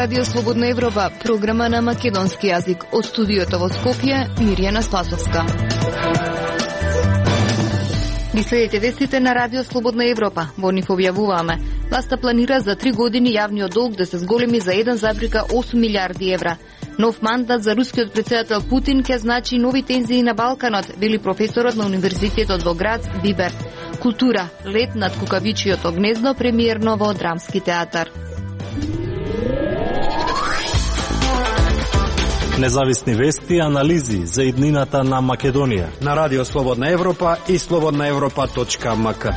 Радио Слободна Европа, програма на македонски јазик. Од студиото во Скопје, Мирјана Спасовска. Ги следите вестите на Радио Слободна Европа. Во нив објавуваме: власта планира за 3 години јавниот долг да се зголеми за 1,8 милиарди евра. Нов мандат за рускиот председател Путин ќе значи нови тензии на Балканот, вели професорот на Универзитетот во Грац Бибер. Култура, лет над кукавичиото гнездо, премиерно во Драмски театар. Независни вести и анализи за иднината на Македонија на Радио Слободна Европа и slobodnaevropa.mk.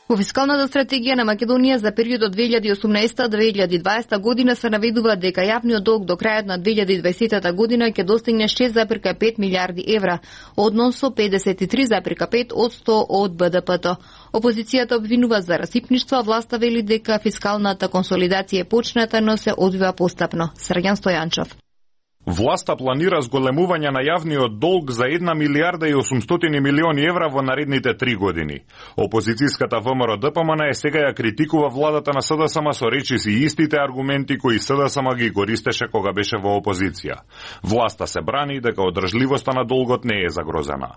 Во фискалната стратегија на Македонија за периодот 2018-2020 година се наведува дека јавниот долг до крајот на 2020 година ќе достигне 6,5 милиарди евра, односно 53,5% од БДП-то. Опозицијата обвинува за расипништво, а власта вели дека фискалната консолидација е почната, но се одвива постапно. Срѓан Стојанчов. Власта планира зголемување на јавниот долг за 1 милиарда и 800 милиони евра во наредните 3 години. Опозицијската ВМРО-ДПМН сега ја критикува владата на СДСМ со речиси истите аргументи кои СДСМ ги користеше кога беше во опозиција. Власта се брани дека одржливоста на долгот не е загрозена.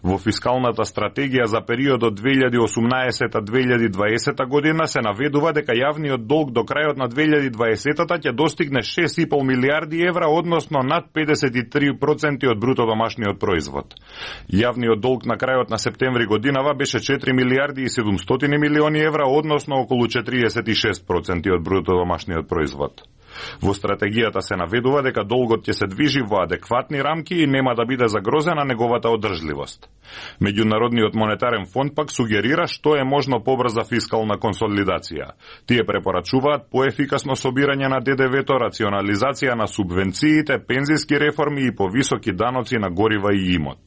Во фискалната стратегија за периодот 2018-2020 година се наведува дека јавниот долг до крајот на 2020-та ќе достигне 6,5 милиарди евра, односно над 53% од бруто домашниот производ. Јавниот долг на крајот на септември годинава беше 4 милиарди и 700 милиони евра, односно околу 46% од бруто домашниот производ. Во стратегијата се наведува дека долгот ќе се движи во адекватни рамки и нема да биде загрозена неговата одржливост. Меѓународниот монетарен фонд пак сугерира што е можно побрза фискална консолидација. Тие препорачуваат поефикасно собирање на ДДВ-то, рационализација на субвенциите, пензиски реформи и повисоки даноци на горива и имот.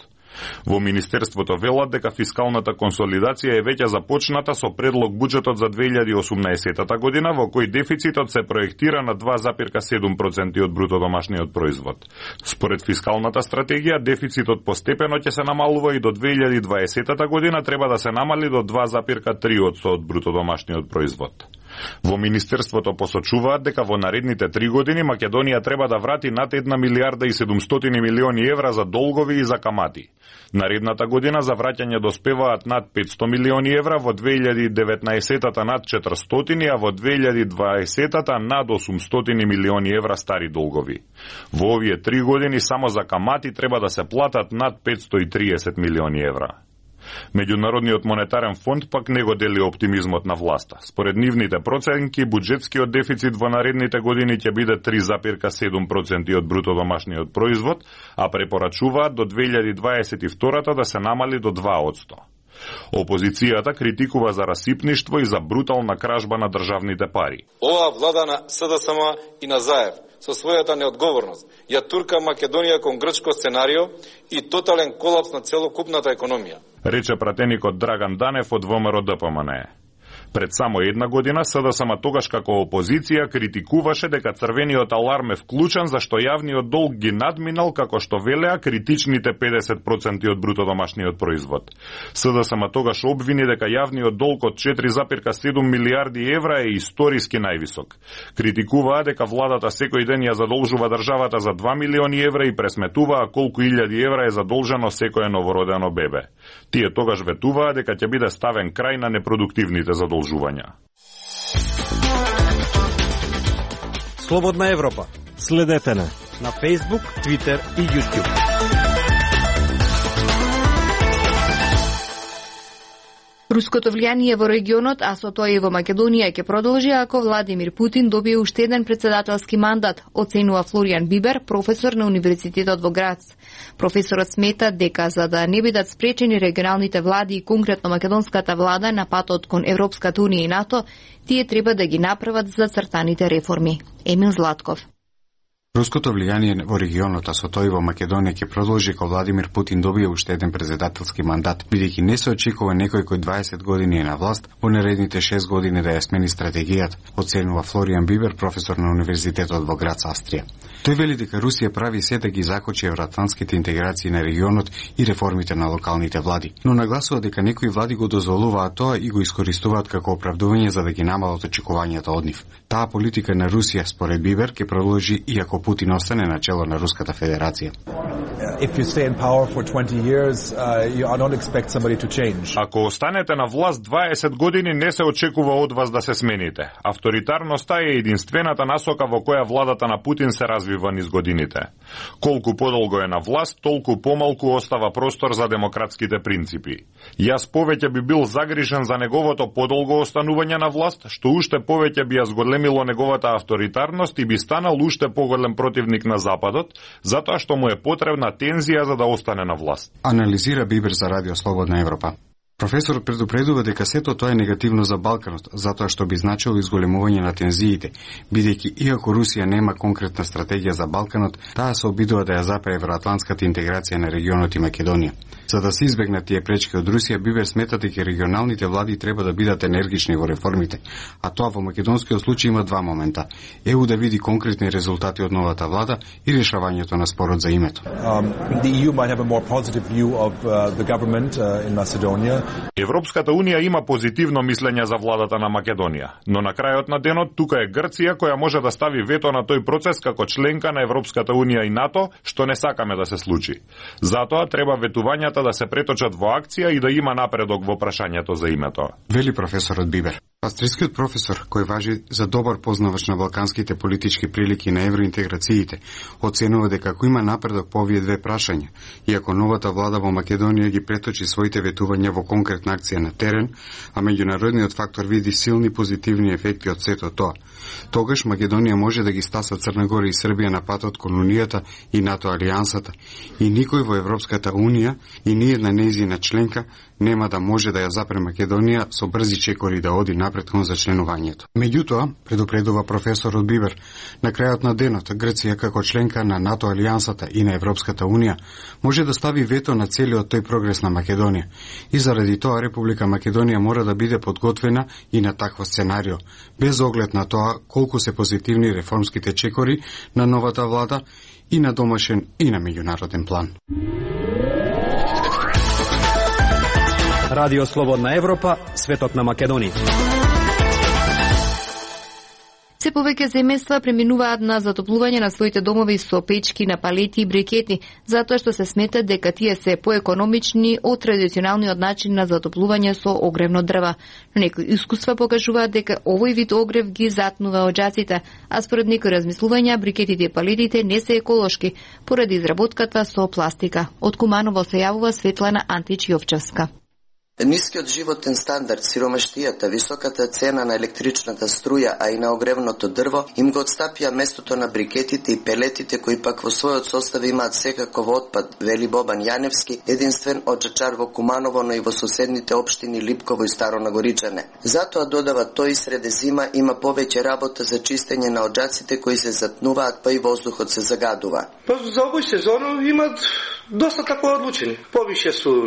Во Министерството велат дека фискалната консолидација е веќе започната со предлог буџетот за 2018 година, во кој дефицитот се проектира на 2,7% од бруто домашниот производ. Според фискалната стратегија, дефицитот постепено ќе се намалува и до 2020 година треба да се намали до 2,3% од бруто домашниот производ. Во Министерството посочуваат дека во наредните 3 години Македонија треба да врати над 1 милиарда и 700 милиони евра за долгови и за камати. Наредната година за враќање доспеваат над 500 милиони евра, во 2019-та над 400, а во 2020-та над 800 милиони евра стари долгови. Во овие 3 години само за камати треба да се платат над 530 милиони евра. Меѓународниот монетарен фонд пак не го дели оптимизмот на власта. Според нивните проценки, буџетскиот дефицит во наредните години ќе биде 3,7% од бруто домашниот производ, а препорачуваат до 2022 да се намали до 2%. Опозицијата критикува за расипништво и за брутална кражба на државните пари. Оваа влада на СДСМ и на Заев со својата неодговорност ја турка Македонија кон грчко сценарио и тотален колапс на целокупната економија, рече пратеникот Драган Данев од ВМРО-ДПМН. Пред само една година СДСМ тогаш како опозиција критикуваше дека црвениот аларм е вклучен зашто јавниот долг ги надминал, како што велеа, критичните 50% од бруто домашниот производ. СДСМ тогаш обвини дека јавниот долг од 4,7 милиарди евра е историски највисок. Критикуваа дека владата секој ден ја задолжува државата за 2 милиони евра и пресметуваа колку илјади евра е задолжено секое новородено бебе. Тие тогаш ветуваа дека ќе биде ставен крај на непродуктивните задолжувања. Слободна Европа. Следете на Facebook, Twitter и YouTube. Руското влијание во регионот, а со тоа и во Македонија, ќе продолжи ако Владимир Путин добие уште еден председателски мандат, оценува Флоријан Бибер, професор на Универзитетот во Грац. Професорот смета дека за да не бидат спречени регионалните влади и конкретно македонската влада на патот кон Европската унија и НАТО, тие треба да ги направат зацртаните реформи. Емил Златков. Руското влијание во регионот, а со тоа и во Македонија ќе продолжи кога Владимир Путин добие уште еден председателски мандат, бидејќи не се очекува некој кој 20 години е на власт во наредните 6 години да ја смени стратегијата, оценува Флориан Бибер, професор на Универзитетот во град Австрија. Тој вели дека Русија прави се да ги закочи евроатлантските интеграции на регионот и реформите на локалните влади, но нагласува дека некои влади го дозволуваат тоа и го искористуваат како оправдување за да ги намалат очекувањата од нив. Таа политика на Русија, според Бибер, ќе продолжи и ако Путин остане на чело на Руската Федерација. Ако останете на власт 20 години, не се очекува од вас да се смените. Авторитарноста е единствената насока во која владата на Путин се развива низ годините. Колку подолго е на власт, толку помалку остава простор за демократските принципи. Јас повеќе би бил загрижен за неговото подолго останување на власт, што уште повеќе би ја зголемило неговата авторитарност и би станал уште поголем противник на Западот, затоа што му е потребна тензија за да остане на власт. Анализира Бибер за Радио Слободна Европа. Професорот предупредува дека сето тоа е негативно за Балканот, затоа што би значило изголемување на тензиите, бидејќи иако Русија нема конкретна стратегија за Балканот, таа се обидува да ја запре евроатлантската интеграција на регионот и Македонија. За да се избегнат тие пречки од Русија, Бибер смета дека регионалните влади треба да бидат енергични во реформите, а тоа во македонскиот случај има два момента: ЕУ да види конкретни резултати од новата влада и решавањето на спорот за името. Европската Унија има позитивно мислење за владата на Македонија, но на крајот на денот тука е Грција која може да стави вето на тој процес како членка на Европската Унија и НАТО, што не сакаме да се случи. Затоа треба ветувањата да се преточат во акција и да има напредок во прашањето за името. Вели професорот Бибер. Австријскиот професор, кој важи за добар познавач на балканските политички прилики на евроинтеграциите, оценува дека ако има напредок по овие две прашања, и ако новата влада во Македонија ги преточи своите ветувања во конкретна акција на терен, а меѓународниот фактор види силни позитивни ефекти од сето тоа, тогаш Македонија може да ги стаса Црна Гора и Србија на патот кон Унијата и НАТО алијансата, и никој во Европската Унија и ниедна нејзина членка нема да може да ја запре Македонија со брзи чекори да оди напред кон зачленувањето. Меѓутоа, предупредува професорот Бибер, на крајот на денот Грција како членка на НАТО алијансата и на Европската Унија може да стави вето на целиот тој прогрес на Македонија и заради тоа Република Македонија мора да биде подготвена и на такво сценарио, без оглед на тоа колку се позитивни реформските чекори на новата влада и на домашен и на меѓународен план. Радио Слободна Европа, светот на Македонија. Се повеќе семејства преминуваат на затоплување на своите домови со печки на палети и брикети, затоа што се смета дека тие се поекономични од традиционалниот начин на затоплување со огревно дрва. Но некои искуства покажуваат дека овој вид огрев ги затнува оџаците, а според некои размислувања брикетите и палетите не се еколошки поради изработката со пластика. Од Куманово се јавува Светлана Антич-Јовчевска. Нискиот животен стандард, сиромаштијата, високата цена на електричната струја, а и на огревното дрво, им го отстапија местото на брикетите и пелетите, кои пак во својот состав имаат секаков отпад, вели Бобан Јаневски, единствен оџачар во Куманово, но и во соседните општини Липково и Старо Нагоричане. Затоа додава тој среде зима има повеќе работа за чистење на оџаците кои се затнуваат, па и воздухот се загадува. Па за овој сезон имат доста тако одлучени. Повише су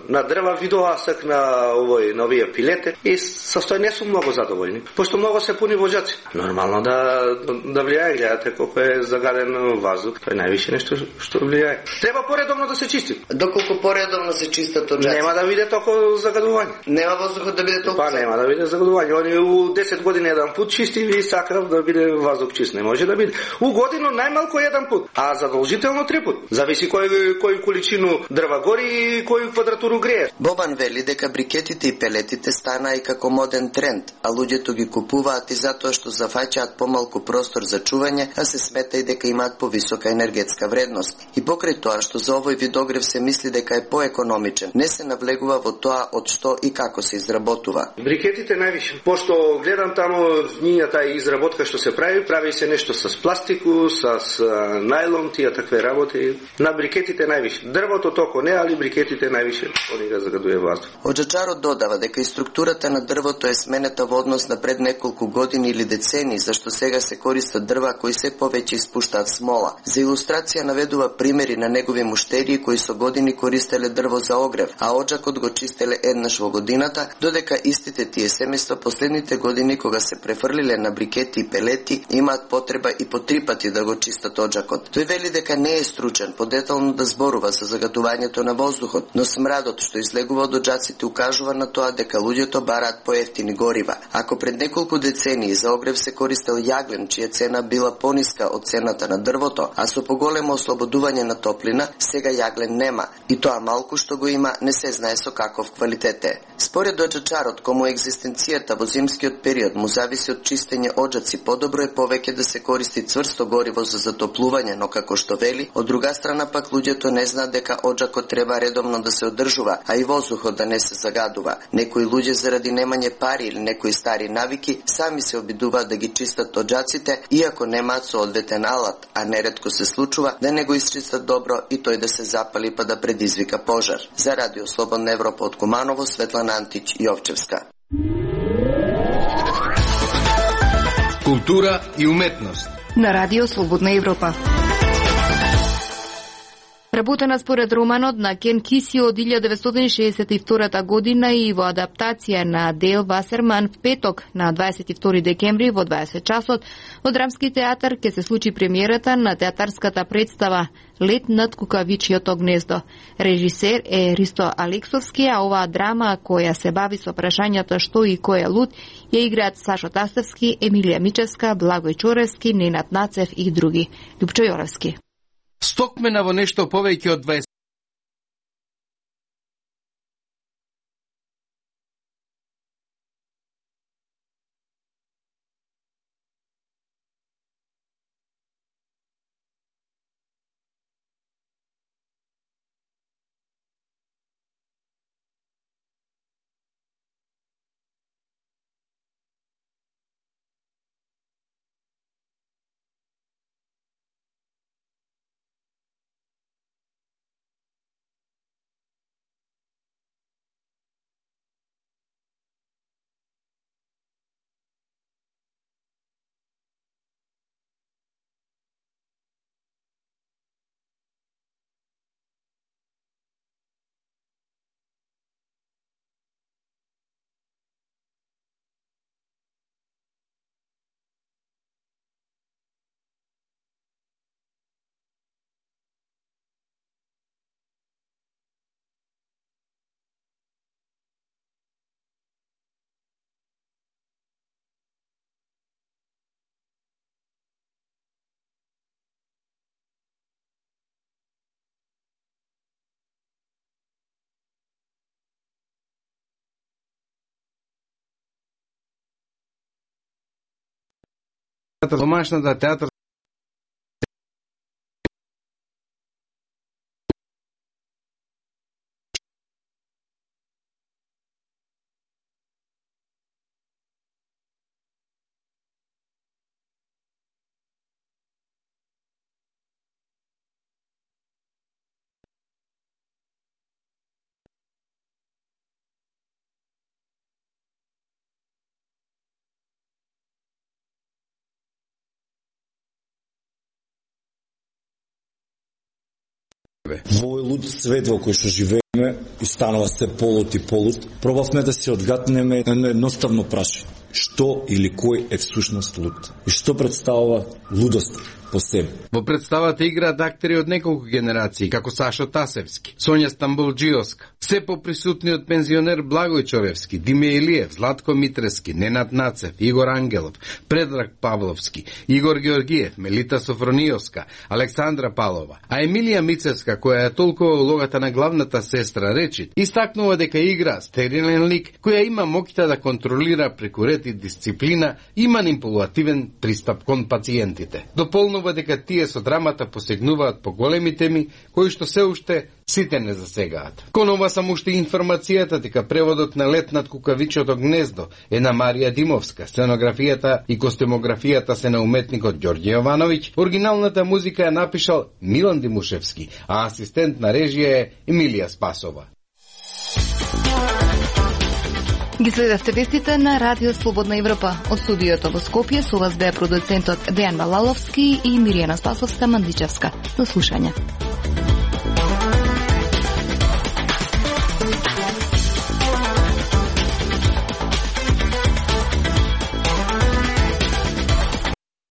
на дрва, видоа сак на овие пилете и со тој не су многу задоволни, пошто многу се пуни во оџаци. Нормално да влијае, гледате колку е загаден воздух, тоа е највише нешто што влијае. Треба поредовно да се чисти. Доколку поредовно се чистат оџаци? Нема да биде толку загадување. Нема воздухот да биде толку? Па нема да биде загадување. Они у 10 години еден пут чисти и сакав да биде воздух чист. Не може да биде. У годину најмалку еден пут, а задолжително 3 пут. Зависи кој количину дрва гори и кој квадратуру грее. Бобан вели дека брикетите и пелетите стана и како моден тренд, а луѓето ги купуваат и затоа што зафаќаат помалку простор за чување, а се смета и дека имаат повисока енергетска вредност. И покрај тоа што за овој вид огрев се мисли дека е поекономичен, не се навлегува во тоа од што и како се изработува. Брикетите највише, пошто гледам таму нивната изработка што се прави се нешто с пластику, с најлон, тие такве работи. На брикетите највише. Дрвото токо не, али брикетите највише они го загадува воздух. Оджачарот додава дека и структурата на дрвото е сменета во однос на пред неколку години или децени, зашто сега се користат дрва кои се повеќе испуштаат смола. За илустрација наведува примери на негови муштерии кои со години користеле дрво за огрев, а оджакот го чистеле еднаш во годината, додека истите тие семејства последните години кога се префрлиле на брикети и пелети, имаат потреба и по 3 пати да го чистат оджакот. Тој вели дека не е стручен подетално да зборува за загадувањето на воздухот, но смрадот што излегува од оджаците укажува на тоа дека луѓето бараат поевтини горива. Ако пред неколку децении за огрев се користел јаглен, чија цена била пониска од цената на дрвото, а со поголемо ослободување на топлина, сега јаглен нема, и тоа малку што го има не се знае со каков квалитет е. Според оджачарот, кому екзистенцијата во зимскиот период му зависи од чистење оджаци, подобро е повеќе да се користи цврсто гориво за затоплување, но како што вели, од друга страна пак луѓето не знаат дека оджакот треба редовно да се одржува, а и воздухот да не се загадува. Некои луѓе заради немање пари или некои стари навики сами се обидуваат да ги чистат оджаците, иако немаат соодветен алат, а неретко се случува да не го исчистат добро и тој да се запали па да предизвика пожар. За Радио Слободна Европа од Куманово, Светлана Антич, Јовчевска. Култура и уметност на Радио Слободна Европа. Работена според романот на Кен Киси од 1962 година и во адаптација на Дейл Васерман в петок на 22 декември во 20 часот во Драмски театар ќе се случи премиерата на театарската представа Лет над кукавичјото гнездо. Режисер е Ристо Алексовски, а оваа драма која се бави со прашањето што и кој е луд, ја играат Сашо Тасевски, Емилија Мичевска, Благој Чоревски, Ненад Нацев и други. Лјупчо Јоровски. Стокмена во нешто повеќе од 20домашната театар Во овој луд свет во кој што живееме и станува се полут и полут, пробавме да се одгатнеме едно едноставно прашање. Што или кој е всушност луд? И што представува лудост по себе? Во представата играат актери од неколку генерации, како Сашо Тасевски, Сонја Стамболџиовска, се поприсутниот пензионер Благој Чоревски, Диме Илиев, Златко Митрески, Ненад Нацев, Игор Ангелов, Предраг Павловски, Игор Георгиев, Мелита Софрониовска, Александра Палова, а Емилија Мицевска, која е толкова улогата на главната сестра Речит, истакнува дека игра стерилен лик која има моќта да контролира преку ред и дисциплина и манипулативен пристап кон пациентите. Дополнува дека тие со драмата посегнуваат по големи теми кои што се уште сите не засегаат. Кон ова само уште информацијата дека преводот на Лет над кукавичото гнездо е на Марија Димовска, сценографијата и костюмографијата се на уметникот Ѓорѓе Јовановиќ, оригиналната музика ја напишал Милан Димушевски, а асистент на режија е Емилија Спасова. Ги следевте вестите на Радио Слободна Европа. Од студиото во Скопје со вас беа продуцентот Дејан Балаловски и Миријана Спасовска Мандичевска. До слушање.